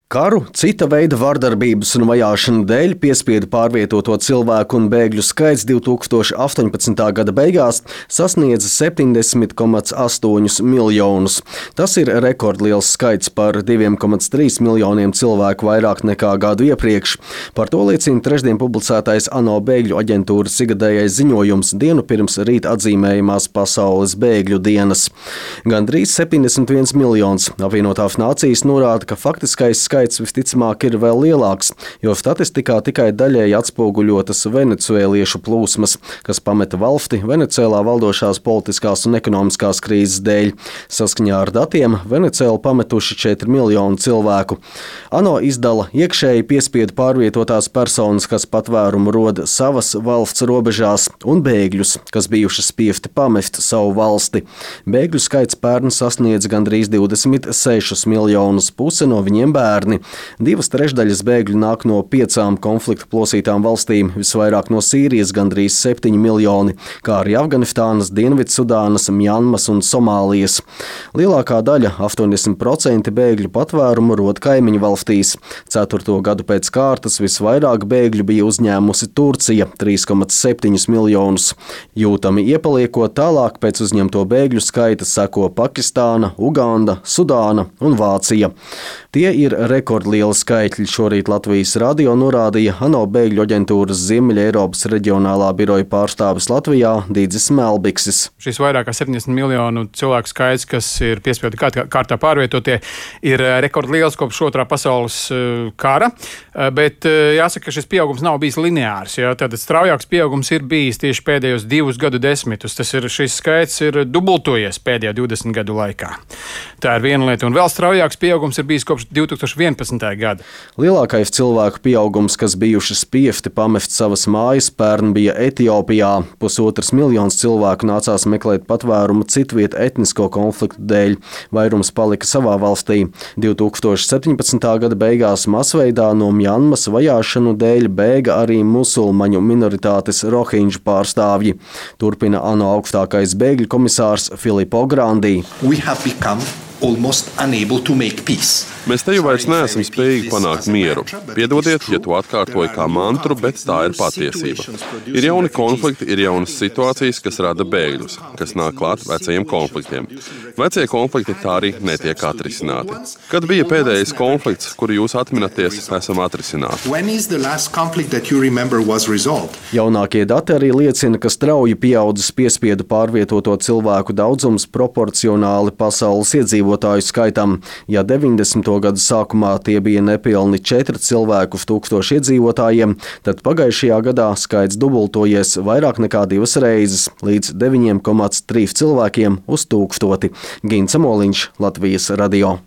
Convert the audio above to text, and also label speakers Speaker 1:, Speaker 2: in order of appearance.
Speaker 1: Karu, cita veida vardarbības un vajāšanu dēļ piespiedu pārvietoto cilvēku un bēgļu skaits 2018. gada beigās sasniedza 70,8 miljonus. Tas ir rekordliels skaits par 2,3 miljoniem cilvēku vairāk nekā gadu iepriekš. Par to liecina trešdien publicētais ANO bēgļu aģentūras ikgadējais ziņojums dienu pirms rīt atzīmējamās pasaules bēgļu dienas. Gandrīz 71 miljons. Apvienotās nācijas norāda, ka faktiskais skaits visticamāk ir vēl lielāks, jo statistikā tikai daļēji atspoguļotas venecuēliešu plūsmas, kas pameta valsti Venecuēlā valdošās politiskās un ekonomiskās krīzes dēļ. Saskaņā ar datiem Venecuēlu pametuši 4 miljoni cilvēku. ANO izdala iekšēji piespiedu pārvietotās personas, kas patvērumu roda savas valsts robežās, un bēgļus, kas bijuši spiesti pamest savu valsti. Bēgļu skaits pērn sasniedz gandrīz 26 miljonus, puse no viņiem bērni. 2/3 bēgļu nāk no 5 konflikta plosītām valstīm, visvairāk no Sīrijas gandrīz 7 miljoni, kā arī Afganistānas, Dienvidsudānas, Mjanmas un Somālijas. Lielākā daļa, 80% bēgļu patvērumu rod kaimiņu valstīs. 4. gadu pēc kārtas visvairāk bēgļu bija uzņēmusi Turcija – 3,7 miljonus. Jūtami iepaliekot tālāk pēc uzņemto bēgļu skaita seko Pakistāna, Uganda, Sudāna un Vācija. Tie ir rekordlieli skaitļi, šorīt Latvijas radio norādīja ANO bēgļu aģentūras Ziemeļa Eiropas reģionālā biroja pārstāvis Latvijā Dīdzis Melbiksis.
Speaker 2: Šis vairāk kā 70 miljonu cilvēku skaits, kas ir piespiedu kārtā pārvietotie, ir rekordliels kopš Otrā pasaules kara, bet jāsaka, ka šis pieaugums nav bijis lineārs. Tātad straujāks pieaugums ir bijis tieši pēdējos 2 gadu desmitus. Šis skaits ir dubultojies pēdējā 20 gadu laikā. Tā ir viena lieta, un vēl straujāks pieaugums ir bijis kopš 2011. gada.
Speaker 1: Lielākais cilvēku pieaugums, kas bijuši spiesti pamest savas mājas, pērn bija Etiopijā. 1,5 miljons cilvēku nācās meklēt patvērumu citviet etnisko konfliktu dēļ. Vairums palika savā valstī. 2017. gada beigās masveidā no Mjanmas vajāšanu dēļ bēga arī musulmaņu minoritātes rohinģu pārstāvji. Turpina ANO augstākais bēgļu komisārs Filippo Grandi.
Speaker 3: Mēs te jau vairs neesam spējīgi panākt mieru. Piedodiet, ja to atkārtoju kā mantru, bet tā ir patiesība. Ir jauni konflikti, ir jaunas situācijas, kas rada bēgļus, kas nāk klāt vecajiem konfliktiem. Vecie konflikti tā arī netiek atrisināti. Kad bija pēdējais konflikts, kuru jūs atminaties, esam atrisināti?
Speaker 1: Jaunākie dati arī liecina, ka strauji pieaudzis piespiedu pārvietoto cilvēku daudzums proporcionāli pasaules iedzīvotāju skaitam. Ja 90. gadu sākumā tie bija nepilni 4 cilvēku uz 1000 iedzīvotājiem, tad pagājušajā gadā skaits dubultojies vairāk nekā 2 reizes, līdz 9,3 cilvēkiem uz 1000. Gints Moliņš, Latvijas radio.